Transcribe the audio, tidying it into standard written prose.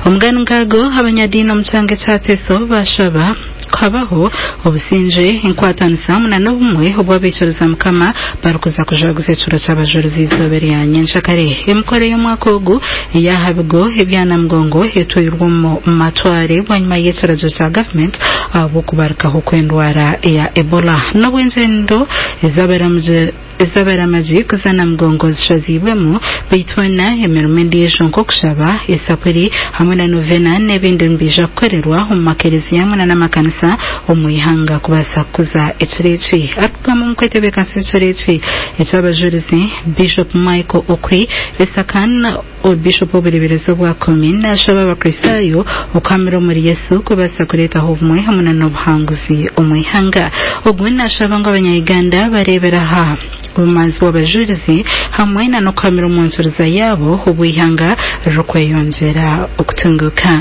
Omugani nk'ago, abanyadiini omu kyanga ekya Teso baashaba kuhabaho obusingye, enkwatanisa hamwe na n'obumwe obw'abaikiriza Mukama barikuza kujaguza ekiro ky'abajurizi eizooba erya nyenkyakare. Emikoro ey'omwaka ogu ey'aha bigo ebya Namugongo etweirwe omu matware bwanyima y'ekiragiro kya gavumenti ahabw'okubarukaho kw'endwara eya Ebola. N'obu engyendo ez'abaramugye Ez'abaramagi kuza Namugongo zishaziibwemu, beitu hoona emirimo endiijo nk'okushaba, esapuri hamwe na novena n'ebindi nibiija kukorerwa omu makereziya hamwe na n'amakanisa omu ihanga kubaasa kukuza ekiro eki. Arikugamba omu kwetebeekanisa ekiro eki eky'abajurizi, Bishop Michael Okwi Esakan, Bishop w'obureeberezi obwa Kumi naashaba Abakristaayo okuhamira omuri Yesu kubaasa kureetaho obumwe hamwe na n'obuhanguzi omu ihanga. Ogu naashaba ngu abanya-Uganda bareebere aha bumanzi bw'abajurizi hamwe na n'okuhamira omu nkiriza yaabo obu eihanga ririkweyongyera okutunguuka.